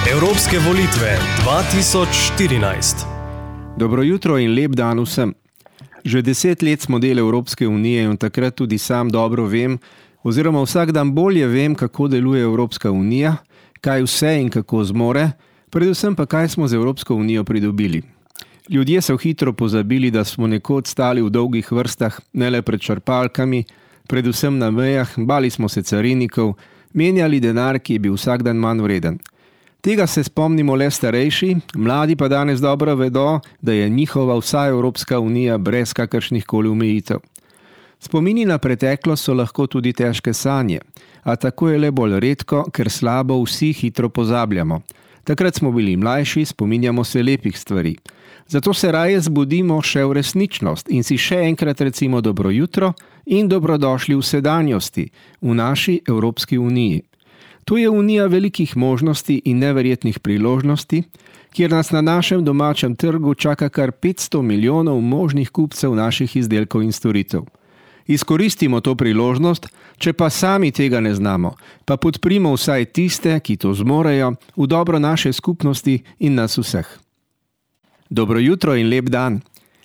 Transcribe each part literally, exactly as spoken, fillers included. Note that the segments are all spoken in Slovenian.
Evropske volitve dva tisoč štirinajst. Dobro jutro in lep dan vsem. Že deset let smo del Evropske unije in takrat tudi sam dobro vem, oziroma vsak dan bolje vem, kako deluje Evropska unija, kaj vse in kako zmore, predvsem pa kaj smo z Evropsko unijo pridobili. Ljudje so hitro pozabili, da smo nekoč stali v dolgih vrstah, ne le pred črpalkami, predvsem na mejah, bali smo se carinikov, menjali denar, ki je bil vsak dan manj vreden. Tega se spomnimo le starejši, mladi pa danes dobro vedo, da je njihova vsa Evropska unija brez kakršnih koli omejitev. Spomini na preteklost so lahko tudi težke sanje, a tako je le bolj redko, ker slabo vsi hitro pozabljamo. Takrat smo bili mlajši, spominjamo se lepih stvari. Zato se raje zbudimo še v resničnost in si še enkrat recimo dobro jutro in dobrodošli v sedanjosti, v naši Evropski uniji. To je unija velikih možnosti in neverjetnih priložnosti, kjer nas na našem domačem trgu čaka kar petsto milijonov možnih kupcev naših izdelkov in storitev. Izkoristimo to priložnost, če pa sami tega ne znamo, pa podprimo vsaj tiste, ki to zmorejo, v dobro naše skupnosti in nas vseh. Dobro jutro in lep dan.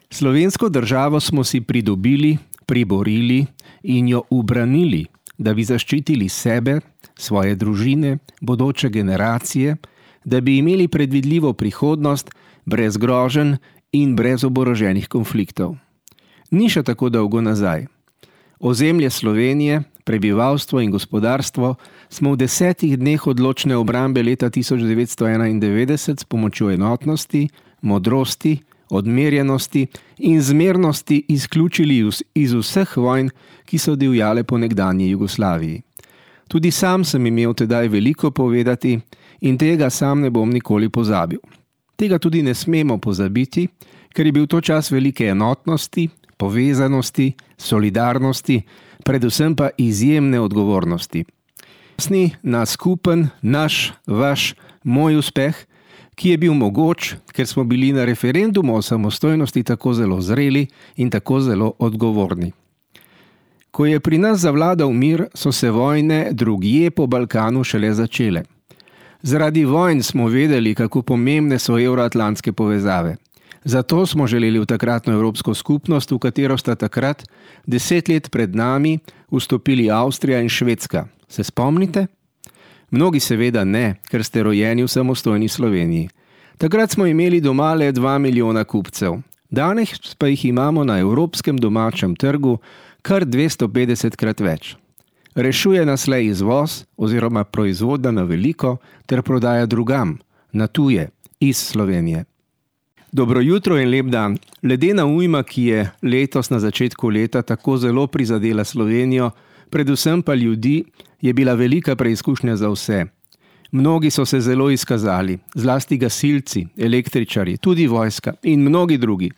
Slovensko državo smo si pridobili, priborili in jo ubranili, da bi zaščitili sebe, svoje družine, bodoče generacije, da bi imeli predvidljivo prihodnost, brez groženj in brez oboroženih konfliktov. Ni še tako dolgo nazaj. Ozemlje Slovenije, prebivalstvo in gospodarstvo smo v desetih dneh odločne obrambe leta tisoč devetsto enaindevetdeset s pomočjo enotnosti, modrosti, odmerjenosti in zmernosti izključili iz vseh vojn, ki so divjale po nekdanji Jugoslaviji. Tudi sam sem imel tedaj veliko povedati in tega sam ne bom nikoli pozabil. Tega tudi ne smemo pozabiti, ker je bil to čas velike enotnosti, povezanosti, solidarnosti, predvsem pa izjemne odgovornosti. Sni na skupen, naš, vaš, moj uspeh, ki je bil mogoč, ker smo bili na referendumu o samostojnosti tako zelo zreli in tako zelo odgovorni. Ko je pri nas zavladal mir, so se vojne drugje po Balkanu šele začele. Zaradi vojn smo vedeli, kako pomembne so evroatlantske povezave. Zato smo želeli v takratno Evropsko skupnost, v katero sta takrat, deset let pred nami, vstopili Avstrija in Švedska. Se spomnite? Mnogi seveda ne, ker ste rojeni v samostojni Sloveniji. Takrat smo imeli doma le dva milijona kupcev. Danes pa jih imamo na evropskem domačem trgu kar dvesto petdesetkrat več. Rešuje nas le izvoz oziroma proizvodnja na veliko ter prodaja drugam, na tuje, iz Slovenije. Dobro jutro in lep dan. Ledena ujma, ki je letos na začetku leta tako zelo prizadela Slovenijo, predvsem pa ljudi, je bila velika preizkušnja za vse. Mnogi so se zelo izkazali, zlasti gasilci, električari, tudi vojska in mnogi drugi.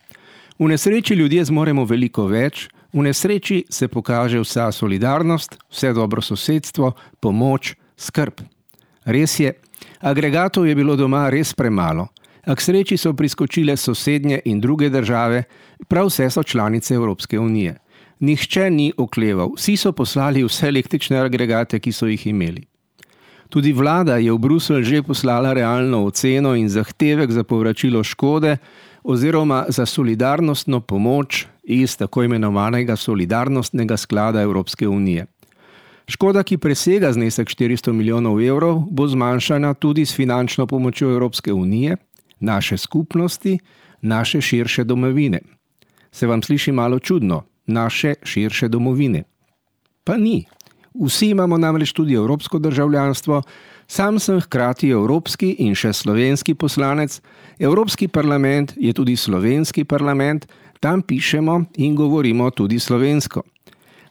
V nesreči ljudje zmoremo veliko več, v nesreči se pokaže vsa solidarnost, vse dobro sosedstvo, pomoč, skrb. Res je, agregatov je bilo doma res premalo, a k sreči so priskočile sosednje in druge države, prav vse so članice Evropske unije. Nihče ni okleval, vsi so poslali vse električne agregate, ki so jih imeli. Tudi vlada je v Bruselj že poslala realno oceno in zahtevek za povračilo škode oziroma za solidarnostno pomoč iz tako imenovanega solidarnostnega sklada Evropske unije. Škoda, ki presega znesek štiristo milijonov evrov, bo zmanjšana tudi s finančno pomočjo Evropske unije, naše skupnosti, naše širše domovine. Se vam sliši malo čudno? Naše širše domovine. Pa ni. Vsi imamo namreč tudi evropsko državljanstvo, sam sem hkrati evropski in še slovenski poslanec, Evropski parlament je tudi slovenski parlament, tam pišemo in govorimo tudi slovensko.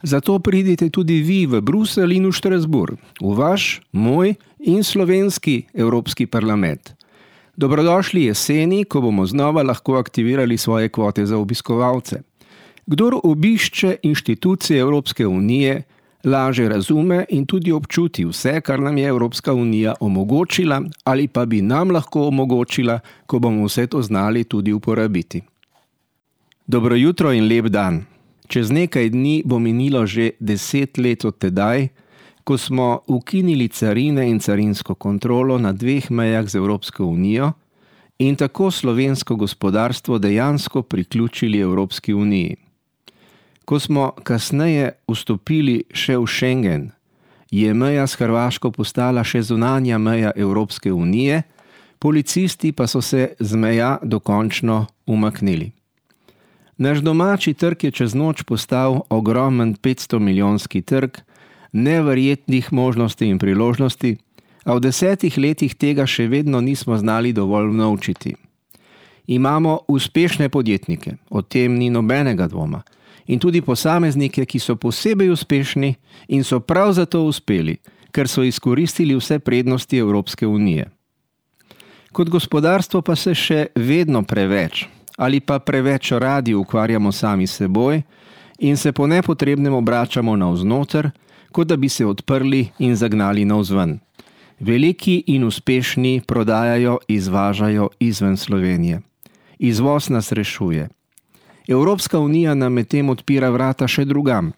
Zato pridite tudi vi v Bruselj in v Štrasburg, v vaš, moj in slovenski Evropski parlament. Dobrodošli jeseni, ko bomo znova lahko aktivirali svoje kvote za obiskovalce. Kdor obišče inštitucije Evropske unije, laže razume in tudi občuti vse, kar nam je Evropska unija omogočila ali pa bi nam lahko omogočila, ko bomo vse to znali tudi uporabiti. Dobro jutro in lep dan. Čez nekaj dni bo minilo že deset let od tedaj, ko smo ukinili carine in carinsko kontrolo na dveh mejah z Evropsko unijo in tako slovensko gospodarstvo dejansko priključili Evropski uniji. Ko smo kasneje vstopili še v Schengen, je meja s Hrvaško postala še zunanja meja Evropske unije, policisti pa so se z meja dokončno umaknili. Naš domači trg je čez noč postal ogromen petsto milijonski trg, neverjetnih možnosti in priložnosti, a v desetih letih tega še vedno nismo znali dovolj unovčiti. Imamo uspešne podjetnike, o tem ni nobenega dvoma, in tudi posameznike, ki so posebej uspešni in so prav zato uspeli, ker so izkoristili vse prednosti Evropske unije. Kot gospodarstvo pa se še vedno preveč ali pa preveč radi ukvarjamo sami s seboj in se po nepotrebnem obračamo navznoter, kot da bi se odprli in zagnali navzven. Veliki in uspešni prodajajo, izvažajo izven Slovenije. Izvoz nas rešuje. Evropska unija nam medtem odpira vrata še drugam.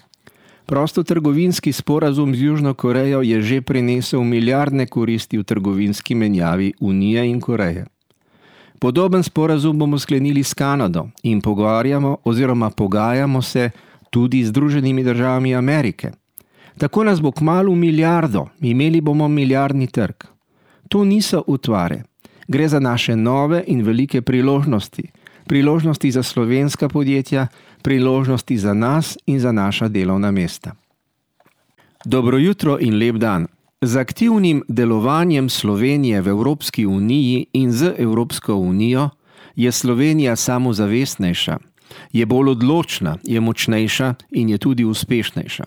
Prostotrgovinski sporazum z Južno Korejo je že prinesel milijardne koristi v trgovinski menjavi Unije in Koreje. Podoben sporazum bomo sklenili s Kanado in pogovarjamo oziroma pogajamo se tudi z Združenimi državami Amerike. Tako nas bo kmalu milijardo, imeli bomo milijardni trg. To niso utvare. Gre za naše nove in velike priložnosti. Priložnosti za slovenska podjetja, priložnosti za nas in za naša delovna mesta. Dobro jutro in lep dan. Z aktivnim delovanjem Slovenije v Evropski uniji in z Evropsko unijo je Slovenija samozavestnejša, je bolj odločna, je močnejša in je tudi uspešnejša.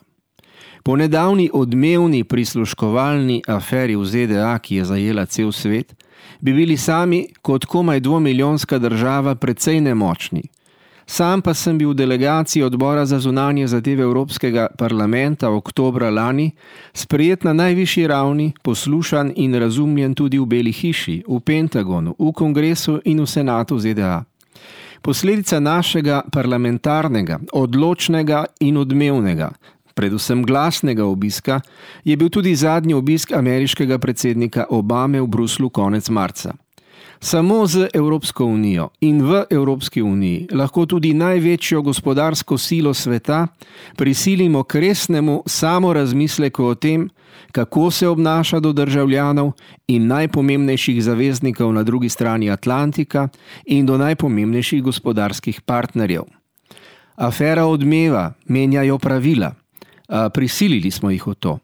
Po nedavni odmevni prisluškovalni aferi v Z D A, ki je zajela cel svet, bi bili sami kot komaj dvomilijonska država precej nemočni. Sam pa sem bil v delegaciji odbora za zunanje zadeve Evropskega parlamenta oktobra lani, sprejet na najvišji ravni, poslušan in razumljen tudi v Beli hiši, v Pentagonu, v Kongresu in v Senatu Z D A. Posledica našega parlamentarnega, odločnega in odmevnega, predvsem glasnega obiska, je bil tudi zadnji obisk ameriškega predsednika Obame v Bruslu konec marca. Samo z Evropsko unijo in v Evropski uniji lahko tudi največjo gospodarsko silo sveta prisilimo k resnemu samorazmisleku o tem, kako se obnaša do državljanov in najpomembnejših zaveznikov na drugi strani Atlantika in do najpomembnejših gospodarskih partnerjev. Afera odmeva, menjajo pravila. A prisilili smo jih v to.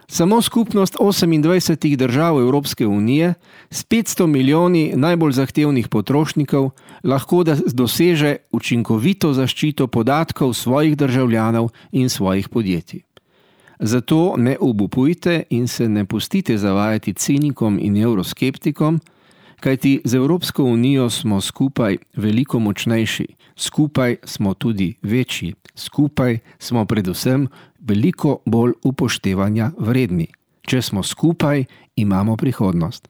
Samo skupnost osemindvajsetih držav Evropske unije s petsto milijoni najbolj zahtevnih potrošnikov lahko da doseže učinkovito zaščito podatkov svojih državljanov in svojih podjetij. Zato ne obupujte in se ne pustite zavajati cinikom in evroskeptikom, kajti z Evropsko unijo smo skupaj veliko močnejši, skupaj smo tudi večji, skupaj smo predvsem veliko bolj upoštevanja vredni. Če smo skupaj, imamo prihodnost.